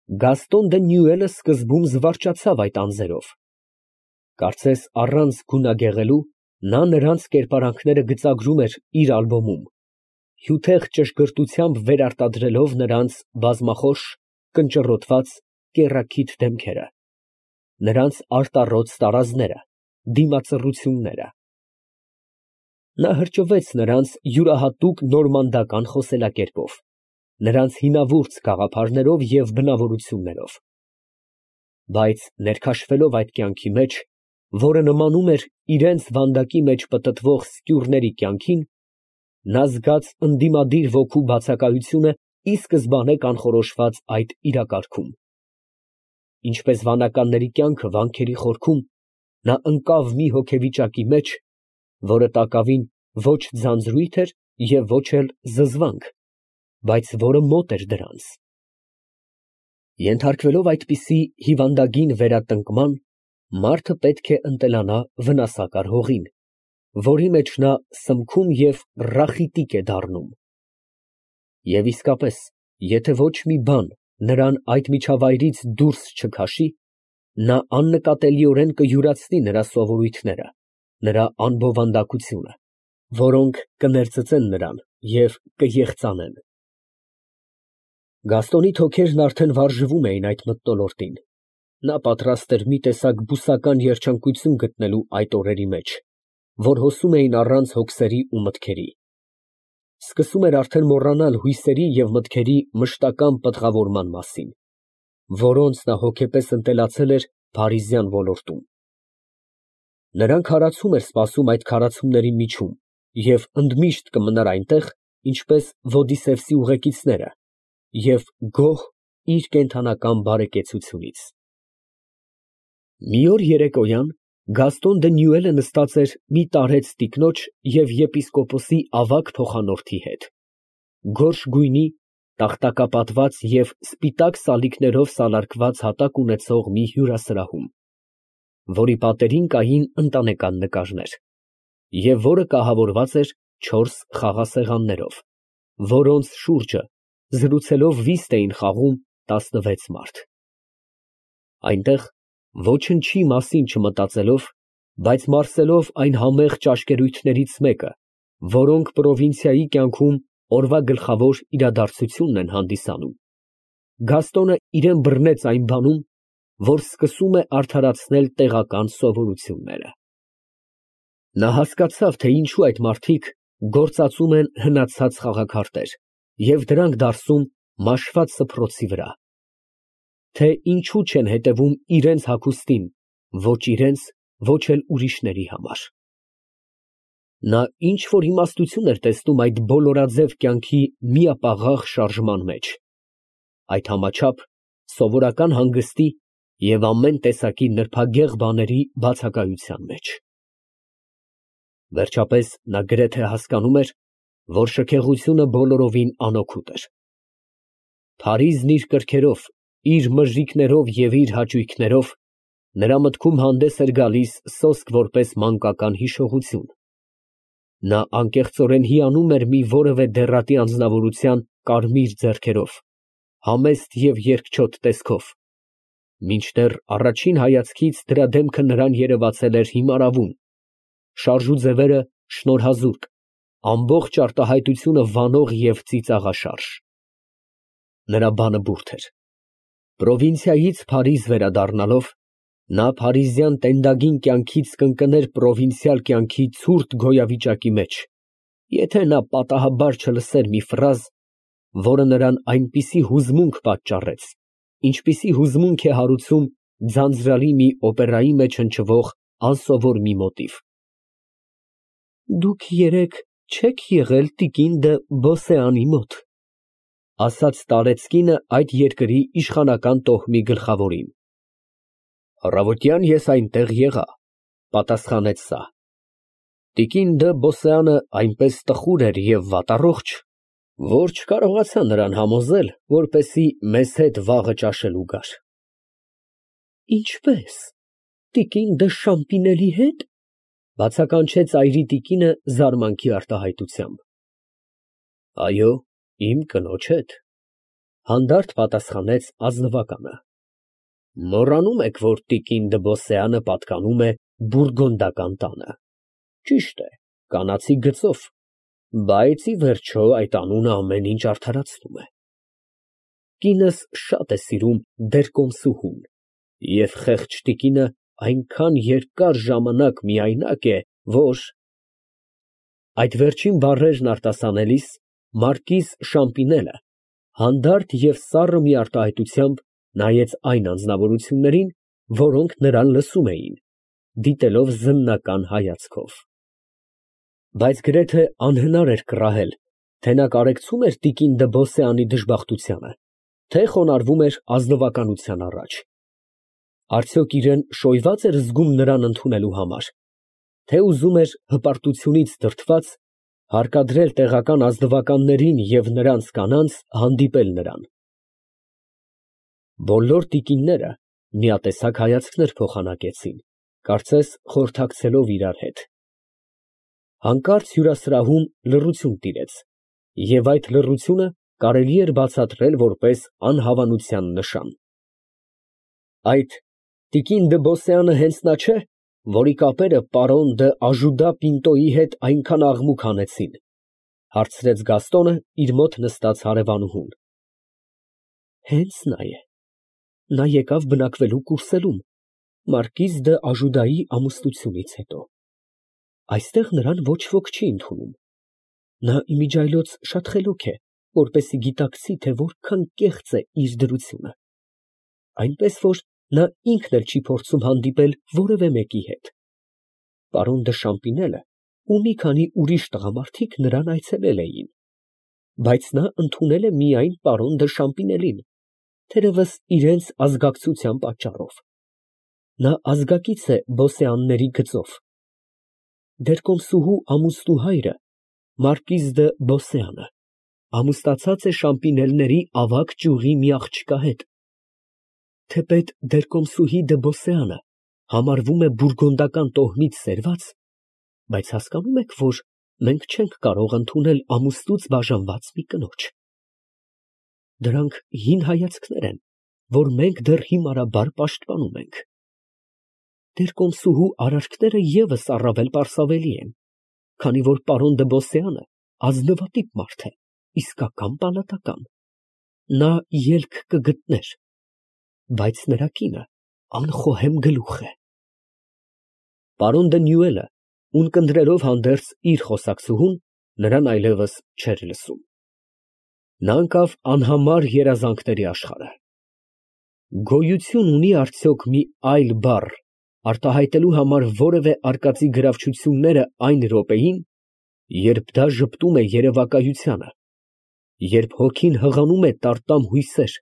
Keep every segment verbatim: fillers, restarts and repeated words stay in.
Գաստոն դը Նյուելը սկզբում զվարճացավ այդ անձերով. կարծես առանց գունագեղելու նա նրանց կերպարանքները գծագրում էր իր ալբոմում, հյութեղ ճշգրտությամբ վերարտադրելով նրանց բազմախոս, կնճռոտված, կեռաքիթ դեմքերը, նրանց արտառոց տարազները, դիմացռությունները։ Նա հրճվեց նրանց յուրահատուկ նորմանդական խոսելակերպով, նրանց հինավուրց գաղափարներով և բնավորություններով, բայց ներքաշվելով այդ կյանքի մեջ, որը նմանում էր իրենց վանդակի մեջ պտտվող սկյուռների կյանքին, նա զգաց ընդդիմադիր ոգու բացակայությունը ի սկզբանե կանխորոշված այդ իրակարգում։ Ինչպես վանականների կյանքը վանքերի խորքում, նա ընկավ մի հոգեվիճակի մեջ, որը տակավին ոչ ձանձրույթ էր և ոչ էլ զզվանք, բայց որը մոտ էր դրանց։ Ենթարկվելով այդպիսի հիվանդագին վերատնկման, մարդը պետք է ընտելանա վնասակար հողին, որի մեջ նա սմքում և ռախիտիկ է դառնում։ Եվ իսկապես, եթե ոչ մի բան նրան այդ միջավայրից դուրս չքաշի, նա աննկատելիորեն կյուրացնի նրա սովորույթները, նրա անբովանդակությունը, որոնք կներծծեն նրան և կեխծանեն։ Գաստոնի թոքերն արդեն վարժվում էին այդ մթնոլորտին, նա պատրաստ էր մի տեսակ բուսական երջանկություն գտնելու այդ օրերի մեջ, որ հոսում էին առանց հոգսերի ու մտքերի, սկսում էր արդեն մոռանալ հույսերի և մտքերի մշտական պտղավորման մասին, որոնց նա հոգեպես ընտելացել էր փարիզյան ոլորտում։ Նրան քարացում էր սպասում այդ քարացումների միջում և ընդմիշտ կմնար այնտեղ, ինչպես Ոդիսևսի ուղեկիցները, և գոհ իր կենդանական բարեկեցությունից։ Մի օր երեկոյան Գաստոն դը Նյուելը նստած էր մի տարեց տիկնոջ և եպիսկոպոսի ավագ փոխանորդի հետ, գորշ գույնի, տախտակապատված և սպիտակ սալիկներով սալարկված հատակ ունեցող մի հյուրասրահում, որի պատերին կային ընտանեկան նկարներ, և որը կահավորված էր չորս խաղասեղաններով, որոնց շուրջը զրուցելով վիստ էին խաղում տասնվեց մարդ։ Այնտեղ, ոչնչի մասին չմտածելով, բայց մարսելով այն համեղ ճաշկերույթներից մեկը, որոնք պրովինցիայի կյանքում օրվա գլխավոր իրադարձությունն են հանդիսանում, Գաստոնը իրան բռնեց այն բանում, որ սկսում է արդարացնել տեղական սովորությունները։ Նա հասկացավ, թե ինչու այդ մարդիկ գործածում են հնացած խաղաքարտեր և դրանք դարսում մաշված սփռոցի վրա, թե ինչու չեն հետևում իրենց հագուստին, ոչ իրենց, ոչ էլ ուրիշների համար։ Նա ինչ֊որ իմաստություն էր տեսնում այդ բոլորաձև կյանքի միապաղաղ շարժման մեջ, այդ համաչափ սովորական հանգստի և ամեն տեսակի նրբագեղ բաների բացակայության մեջ։ Վերջապես նա գրեթե հասկանում էր, որ շքեղությունը բոլորովին անօգուտ էր։ Փարիզն իր կրքերով, իր մժիկներով և իր հաճույքներով նրա մտքում հանդես էր գալիս սոսկ որպես մանկական հիշողություն։ Նա անկեղծորեն հիանում էր մի որևէ դեռատի անձնավորության կարմիր ձեռքերով, համեստ և երկչոտ տեսքով, մինչդեռ առաջին հայացքից դրա դեմքը նրան երևացել էր հիմարավուն, շարժու ձևերը շնորհազուրկ, ամբողջ արտահայտությունը վանող և ծիծաղաշարժ։ Նրա բանը բուրդ էր։ Պրովինցիայից Փարիզ վերադառնալով, նա փարիզյան տենդագին կյանքից կընկներ պրովինցիալ կյանքի ցուրտ գոյավիճակի մեջ, եթե նա պատահաբար չլսեր մի ֆրազ, որը նրան այնպիսի հուզմունք պատճառեց, ինչպիսի հուզմունք է հարուցում ձանձրալի մի օպերայի մեջ հնչվող անսովոր մի մոտիվ։ «Դուք երեկ չե՞ք եղել տիկին դը Բոսեանի մոտ», ասաց տարեցկինը այդ երկրի իշխանական տոհմի գլխավորին։ «Առավոտյան ես այնտեղ եղա», պատասխանեց սա։ Տիկին դը Բոսեանը այնպես տխուր էր և վատառողջ, որ չկարողացա նրան համոզել, որպեսզի մեզ հետ վաղը ճաշելու գար։ «Ինչպե՞ս, տիկին դը Շամպինելի հետ», բացականչեց այրի տիկինը զարմանքի արտահայտությամբ։ «Այո, իմ կնոջ հետ»։ Հանդարտ պատասխանեց ազնվականը։ Մոռանում եք, որ տիկին Դբոսեանը պատկանում է բուրգոնդական տանը։ Ճիշտ է, կանացի գծով, բայց ի վերջո այդ անունը ամեն ինչ արդարացնում է։ Կինս շատ է սիրում դերկոմսուհուն, և խեղճ տիկինը այնքան երկար ժամանակ միայնակ է, որ… Այդ վերջին բառերն արտասանելիս մարկիզ Շամպինելը հանդարտ և սառը մի արտահայտությամբ նայեց այն անձնավորություններին, որոնք նրան լսում էին, դիտելով զննական հայացքով։ Բայց գրեթե անհնար էր կռահել, թե նա կարեկցում էր տիկին Դբոսեանի դժբախտությանը, թե խոնարհվում էր ազնվականության առաջ։ Արդյոք իրան շոյվա՞ծ էր զգում նրան ընդունելու համար, թե ուզում էր հպարտությունից դրդված հարկադրել տեղական ազնվականներին և նրանց կանանց հանդիպել նրան։ Բոլոր տիկինները միատեսակ հայացքներ փոխանակեցին, կարծես խորհրդակցելով իրար հետ։ Հանկարծ հյուրասրահում լռություն տիրեց, և այդ լռությունը կարելի էր բացատրել որպես անհավանության նշան։ Այդ տիկին Դբոսեանը հենց նա չէ՞, որի կապերը պարոն դ'Աժուդա Պինտոյի հետ այնքան աղմուկ հանեցին, ֊ հարցրեց Գաստոնը իր մոտ նստած հարևանուհուն։ Հենց նա է, նա եկավ բնակվելու Կուրսելում, մարկիզ դ'Աժուդայի ամուսնությունից հետո։ Այստեղ նրան ոչ ոք չի ընդունում։ Նա իմիջիայլոց շատ խելոք է, որպեսզի գիտակցի, թե որքան կեղծ է իր դրությունը, այնպես որ նա ինքն էլ չի փորձում հանդիպել որևէ մեկի հետ։ Պարոն դը Շամպինելը ու մի քանի ուրիշ տղամարդիկ նրան այցելել էին, բայց նա ընդունել է միայն պարոն դը Շամպինելին, թերևս իրենց ազգակցության պատճառով։ Նա ազգակից է Բոսեանների գծով։ Դերկոմսուհու ամուսնու հայրը, մարկիզ դը Բոսեանը, ամուսնացած է Շամպինելների ավագ ճյուղի մի աղջկա հետ։ Թեպետ դերկոմսուհի Դբոսեանը համարվում է բուրգոնդական տոհմից սերված, բայց հասկանում եք, որ մենք չենք կարող ընդունել ամուսնուց բաժանված մի կնոջ։ Դրանք հին հայացքներ են, որ մենք դեռ հիմարաբար պաշտպանում ենք։ Դերկոմսուհու արարքները ևս առավել պարսավելի են, քանի որ պարոն Դբոսեանը ազնվատիպ մարդ է, իսկական պալատական։ Նա ելք կգտներ, բայց նրա կինը անխոհեմ գլուխ է։ Պարոն դը Նյուելը ունկնդրելով հանդերձ իր խոսակցուհուն, նրան այլևս չէր լսում։ Նա ընկավ անհամար երազանքների աշխարհը։ Գոյություն ունի՞ արդյոք մի այլ բառ արտահայտելու համար որևէ արկածի գրավչությունները այն րոպեին, երբ դա ժպտում է երևակայությանը, երբ հոգին հղանում է տարտամ հույսեր,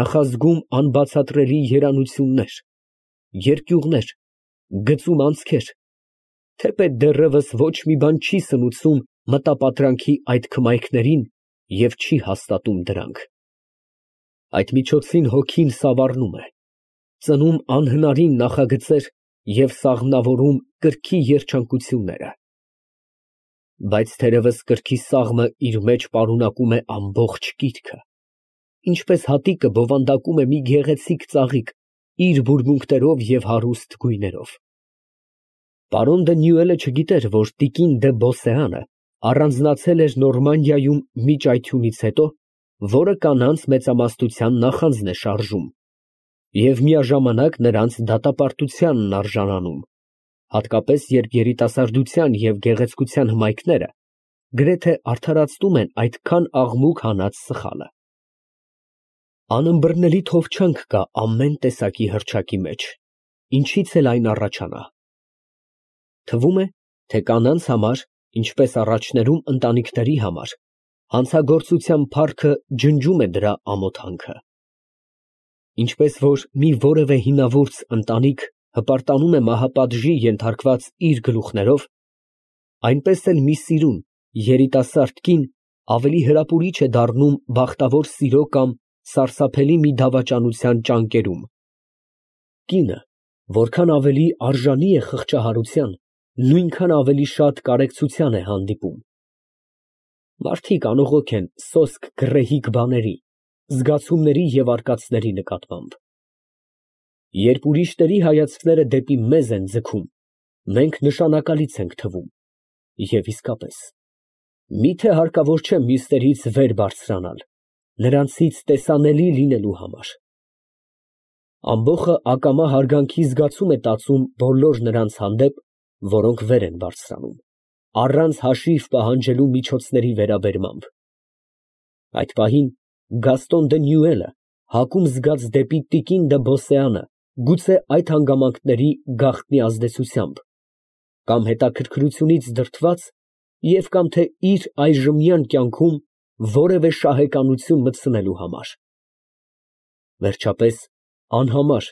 նախազգում անբացատրելի երանություններ, երկյուղներ, գծում անցքեր, թեպետ դեռևս ոչ մի բան չի սնուցում մտապատրանքի այդ քմայքներին և չի հաստատում դրանք։ Այդ միջոցին հոգին սավառնում է, ծնում անհնարին նախագծեր և սաղմնավորում կրքի երջանկությունները։ Բայց թերևս կրքի սաղմը իր մեջ պարունակում է ամբողջ կիրքը, ինչպես հատիկը բովանդակում է մի գեղեցիկ ծաղիկ իր բուրմունքներով և հարուստ գույներով։ Պարոն դը Նյուելը չգիտեր, որ տիկին դը Բոսեանը առանձնացել էր Նորմանդիայում մի ճայթյունից հետո, որը կանանց մեծամասնության նախանձն է շարժում և միաժամանակ նրանց դատապարտությանն արժանանում, հատկապես երբ երիտասարդության և գեղեցկության հմայքները գրեթե արդարացնում են այդքան աղմուկ հանած սխալը։ Անըմբռնելի թովչանք կա ամեն տեսակի հռչակի մեջ, ինչից էլ այն առաջանա։ Թվում է, թե կանանց համար, ինչպես առաջներում ընտանիքների համար, հանցագործության փառքը ջնջում է դրա ամոթանքը։ Ինչպես որ մի որևէ հինավուրց ընտանիք հպարտանում է մահապատժի ենթարկված իր գլուխներով, այնպես էլ մի սիրուն, երիտասարդ կին ավելի հրապուրիչ է դառնում բախտավոր սիրո կամ սարսափելի մի դավաճանության ճանկերում։ Կինը որքան ավելի արժանի է խղճահարության, նույնքան ավելի շատ կարեկցության է հանդիպում։ Մարդիկ անողոք են սոսկ գռեհիկ բաների, զգացումների և արկածների նկատմամբ։ Երբ ուրիշների հայացքները դեպի մեզ են ձգում, մենք նշանակալից ենք թվում, և իսկապես, մի՞թե հարկավոր չէ մյուսներից վեր բարձրանալ, նրանցից տեսանելի լինելու համար։ Ամբոխը ակամա հարգանքի զգացում է տածում բոլոր նրանց հանդեպ, որոնք վեր են բարձրանում, առանց հաշիվ պահանջելու միջոցների վերաբերմամբ։ Այդ պահին Գաստոն դը Նյուելը հակում զգաց դեպի տիկին դը Բոսեանը, գուցե այդ հանգամանքների գաղտնի ազդեցությամբ, կամ հետաքրքրությունից դրդված և կամ թե իր այժմյան կյանքում որևէ շահեկանություն մտցնելու համար։ Վերջապես, անհամար,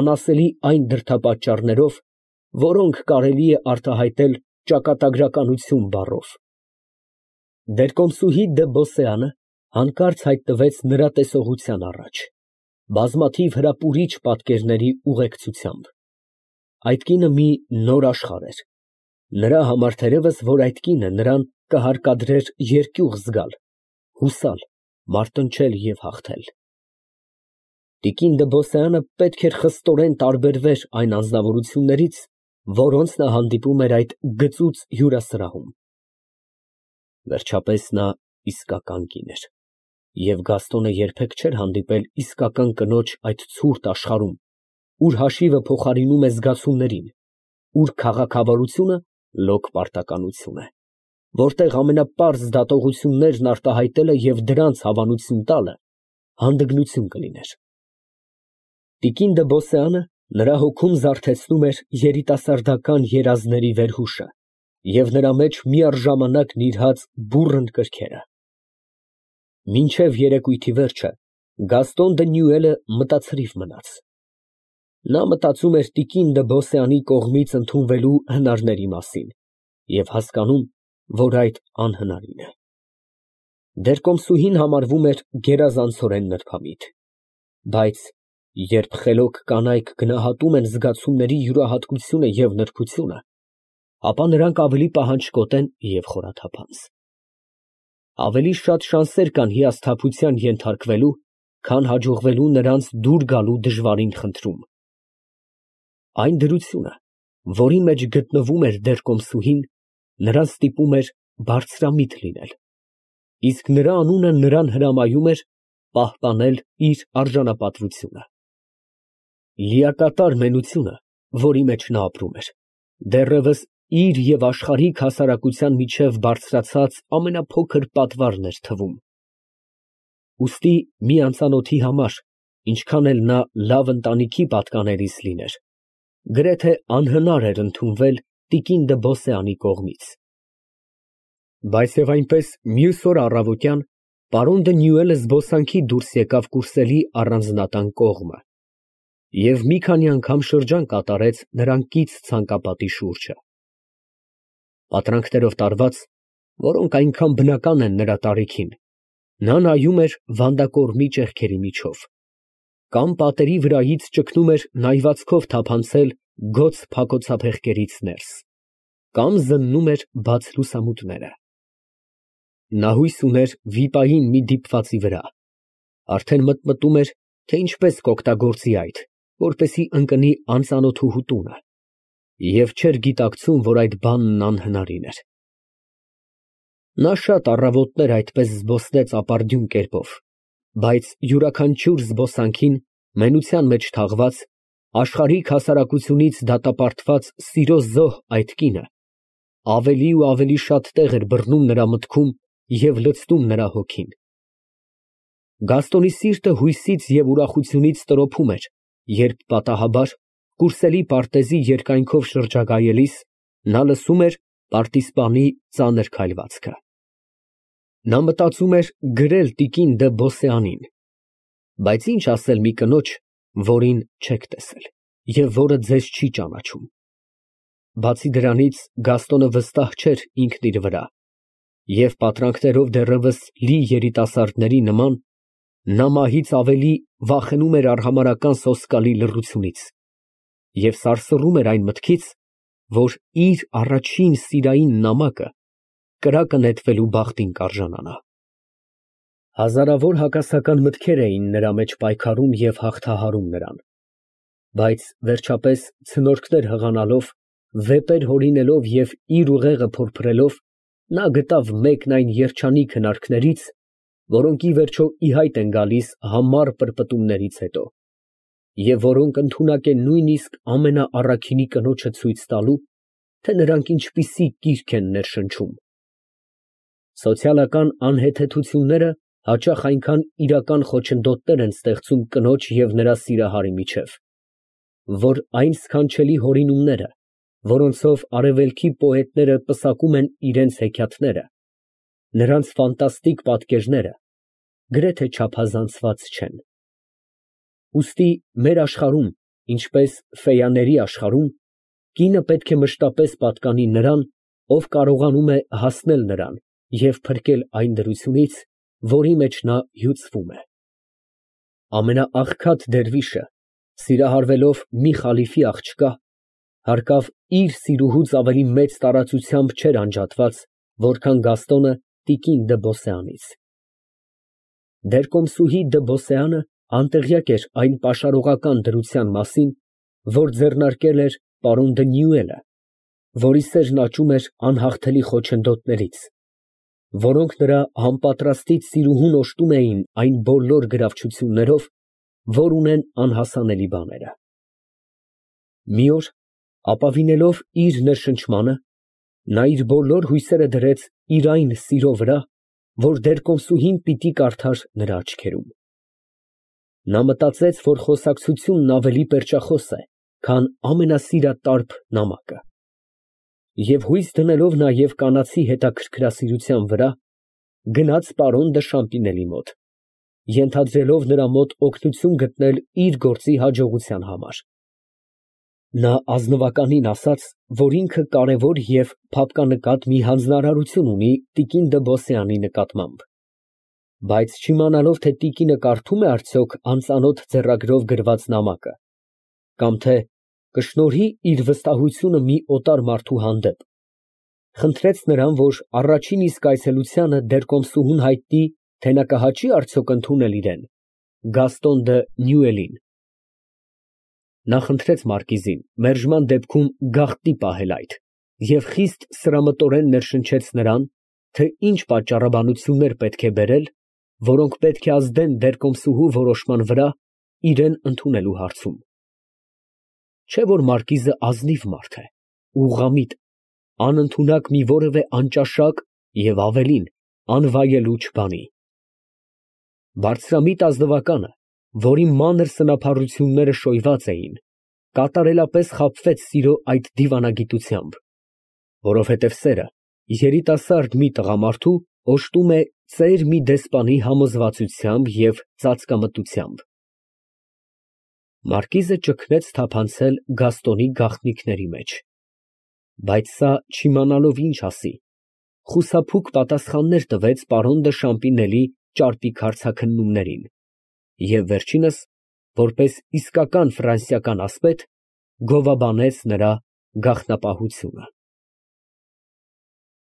անասելի այն դրդապատճառներով, որոնք կարելի է արտահայտել ճակատագրականություն բառով։ Դերկոմսուհի դը Բոսեանը հանկարծ հայտնվեց նրա տեսողության առաջ, բազմաթիվ հրապուրիչ պատկերների ուղեկցությամբ։ Այդ կինը մի նոր աշխարհ էր, նրա համար թերևս, որ այդ կինը նրան կհարկադրեր երկյուղ զգալ, հուսալ, մարտնչել և հաղթել։ Տիկին դը Բոսեանը պետք էր խստորեն տարբերվեր այն անձնավորություններից, որոնց նա հանդիպում էր այդ գծուծ հյուրասրահում։ Վերջապես նա իսկական կին էր, և Գաստոնը երբեք չէր հանդիպել իսկական կնոջ այդ ցուրտ աշխարհում, ուր հաշիվը փոխարինում է զգացումներին, ուր քաղաքավարությունը լոկ պարտականություն է, որտեղ ամենապարզ դատողություններն արտահայտելը և դրանց հավանություն տալը հանդգնություն կլիներ։ Տիկին դը Բոսեանը նրա հոգում զարթեցնում էր երիտասարդական երազների վերհուշը և նրա մեջ միառժամանակ նիրհած բուռն կրքերը։ Մինչև երեկույթի վերջը Գաստոն դը Նյուելը մտացրիվ մնաց։ Նա մտածում էր տիկին դը Բոսեանի կողմից ընդունվելու հնարների մասին և հասկանում, որ այդ անհնարին է։ Դերկոմսուհին համարվում էր գերազանցորեն նրբամիտ, բայց երբ խելոք կանայք գնահատում են զգացումների յուրահատկությունը և նրբությունը, ապա նրանք ավելի պահանջկոտ են և խորաթափանց։ Ավելի շատ շանսեր կան հիասթափության ենթարկվելու, քան հաջողվելու նրանց դուր գալու դժվարին խնդրում։ Այն դրությունը, որի մեջ գտնվում էր դերկոմսուհին, նրան ստիպում էր բարձրամիտ լինել, իսկ նրա անունը նրան հրամայում էր պահպանել իր արժանապատվությունը։ Լիակատար մենությունը, որի մեջ նա ապրում էր, դեռևս իր և աշխարհիկ հասարակության միջև բարձրացած ամենափոքր պատվարն էր թվում։ Ուստի մի անծանոթի համար, ինչքան էլ նա լավ ընտանիքի պատկանելիս լիներ, գրեթե անհնար էր ընդունվել տիկին դը Բոսեանի կողմից։ Բայց և այնպես մյուս օր առավոտյան պարոն դը Նյուելը զբոսանքի դուրս եկավ կուրսելի առանձնատան կողմը և մի քանի անգամ շրջան կատարեց նրան կից ցանկապատի շուրջը։ Պատրանքներով տարված, որոնք այնքան բնական են նրա տարիքին, նա նայում էր վանդակորմի ճեղքերի միջով, կամ պատերի վրայից ճգնում էր նայվածքով թափանցել գոց փակոցափեղկերից ներս, կամ զննում էր բաց լուսամուտները։ Նա հույս ուներ վիպային մի դիպվածի վրա, արդեն մտմտում էր, թե ինչպես կօգտագործի այդ, որպեսզի ընկնի անծանոթուհու տունը, և չէր գիտակցում, որ այդ բանն անհնարին էր։ Նա շատ առավոտներ այդպես զբոսնեց ապարդյուն կերպով, բայց յուրաքանչյուր զբոսանքին, մենության մեջ թաղված, աշխարհիկ հասարակությունից դատապարտված սիրո զոհ այդ կինը ավելի ու ավելի շատ տեղ էր բռնում նրա մտքում և լցնում նրա հոգին։ Գաստոնի սիրտը հույսից և ուրախությունից տրոփում էր, երբ պատահաբար, կուրսելի պարտեզի երկայնքով շրջագայելիս, նա լսում էր պարտիզպանի ծանր քայլվածքը։ Նա մտածում էր գրել տիկին դը Բոսեանին, բայց ինչ ասել մի կնոջ, որին չեք տեսել և որը ձեզ չի ճանաչում։ Բացի դրանից, Գաստոնը վստահ չէր ինքն իր վրա, և պատրանքներով դեռևս լի երիտասարդների նման, նա մահից ավելի վախենում էր արհամարհական սոսկալի լռությունից և սարսռում էր այն մտքից, որ իր առաջին սիրային նամակը կրակը նետվելու բախտին կարժանանա։ Հազարավոր հակասական մտքեր էին նրա մեջ պայքարում և հաղթահարում նրան, բայց վերջապես ցնորքներ հղանալով, վեպեր հորինելով և իր ուղեղը փորփրելով, նա գտավ մեկն այն երջանիկ հնարքներից, որոնք ի վերջո ի հայտ են գալիս համառ պրպտումներից հետո, և որոնք ընդունակ են նույնիսկ ամենաառաքինի կնոջը ցույց տալու, թե նրանք ինչպիսի կիրք են ներշնչում։ Սոցիալական անհեթեթությունները հաճախ այնքան իրական խոչընդոտներ են ստեղծում կնոջ և նրա սիրահարի միջև, որ այն սքանչելի հորինումները, որոնցով արևելքի պոետները պսակում են իրենց հեքիաթները, նրանց ֆանտաստիկ պատկերները, գրեթե չափազանցված չեն։ Ուստի մեր աշխարհում, ինչպես ֆեյաների աշխարհում, կինը պետք է մշտապես պատկանի նրան, ով կարողանում է հասնել նրան և փրկել այն դրությունից, որի մեջ նա հյուծվում է։ Ամենաաղքատ դերվիշը, սիրահարվելով մի խալիֆի աղջկա, հարկավ իր սիրուհուց ավելի մեծ տարածությամբ չէր անջատված, որքան Գաստոնը տիկին դը Բոսեանից։ Դերկոմսուհի դը Բոսեանը անտեղյակ էր այն պաշարողական դրության մասին, որ ձեռնարկել էր պարոն դը Նյուելը, որի սերն աճում էր անհաղթելի խոչընդոտներից, որոնք նրա համապատրաստից սիրուհուն օժտում էին այն բոլոր գրավչություններով, որ ունեն անհասանելի բաները։ Մի օր, ապավինելով իր ներշնչմանը, նա իր բոլոր հույսերը դրեց իր այն սիրո վրա, որ դերկոմսուհին պիտի կարդար նրա աչքերում։ Նա մտածեց, որ խոսակցությունն ավելի պերճախոս է, քան ամենասիրատարբ նամակը, և հույս դնելով նաև կանացի հետաքրքրասիրության վրա, գնաց պարոն դը Շամպինելի մոտ, ենթադրելով նրա մոտ օգնություն գտնել իր գործի հաջողության համար։ Նա ազնվականին ասաց, որ ինքը կարևոր և փափկանկատ մի հանձնարարություն ունի տիկին դը Բոսեանի նկատմամբ, բայց չիմանալով, թե տիկինը կարդո՞ւմ է արդյոք անծանոթ ձեռագրով գրված նամակը, կամ թե կշնորհի իր վստահությունը մի օտար մարդու հանդեպ, խնդրեց նրան, որ առաջին իսկ այցելությանը դերկոմսուհուն հայտնի, թե նա կհաճի՞ արդյոք ընդունել իրան, Գաստոն դը Նյուելին։ Նա խնդրեց մարկիզին մերժման դեպքում գաղտնի պահել այդ և խիստ սրամտորեն ներշնչեց նրան, թե ինչ պատճառաբանություններ պետք է բերել, որոնք պետք է ազդեն դերկոմսուհու որոշման վրա իրան ընդունելու հարցում։ Չէ՞ որ մարկիզը ազնիվ մարդ է, ուղղամիտ, անընդունակ մի որևէ անճաշակ և ավելին, անվայելուչ բանի։ Բարձրամիտ ազնվականը, որի մանր սնափառությունները շոյված էին, կատարելապես խաբվեց սիրո այդ դիվանագիտությամբ, որովհետև սերը երիտասարդ մի տղամարդու օժտում է ծեր մի դեսպանի համոզվածությամբ և ծածկամտությամբ։ Մարկիզը ճգնեց թափանցել Գաստոնի գաղտնիքների մեջ, բայց սա, չիմանալով ինչ ասի, խուսափուկ պատասխաններ տվեց պարոն դը Շամպինելի ճարպիկ հարցաքննումներին և վերջինս, որպես իսկական ֆրանսիական ասպետ, գովաբանեց նրա գաղտնապահությունը։